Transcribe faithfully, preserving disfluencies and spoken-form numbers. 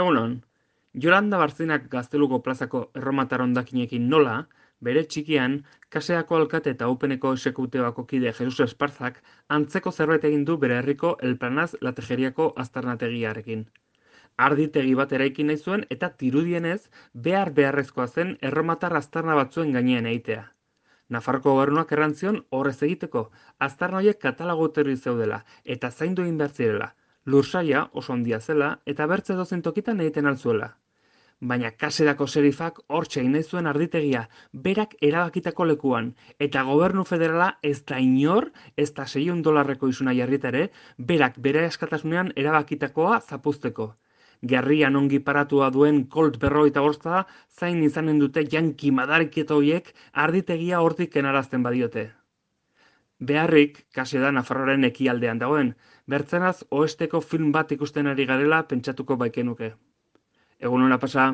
Egunon, Jolanda Barzinak Gazteluko plazako erromatar hondakinekin nola, bere txikian, kaseako alkate eta Upeneko esekutiboako kide Jesus Esparzak antzeko zerbait egin du bere herriko El Planaz Latejeriako aztarnategiarekin. Arditegi bat eraiki nahi zuen eta tirudienez behar beharrezkoa zen erromatar aztarna batzuen gainean egitea. Nafarroko gobernuak errantzion horrez egiteko, aztarna horiek katalogoterri zeudela eta zaindu egin behar zirela, lursaila oso handia zela eta bertze edozein tokitan egiten altzuela. Baina kaserako serifak hortxe egin nahi zuen arditegia, berak erabakitako lekuan, eta gobernu federala ez da inor, ez da seiehun dolarreko isuna jarrita ere, berak bere askatasunean erabakitakoa zapuzteko. Gerrian ongi paratua duen Colt berrogeita bosta zain izanen dute janki madariketo horiek arditegia hortik kenarazten badiote. Beharrik, kase da Nafarroaren ekialdean dagoen, bertzenaz oesteko film bat ikusten ari garela pentsatuko baikenuke. Egun hona pasa.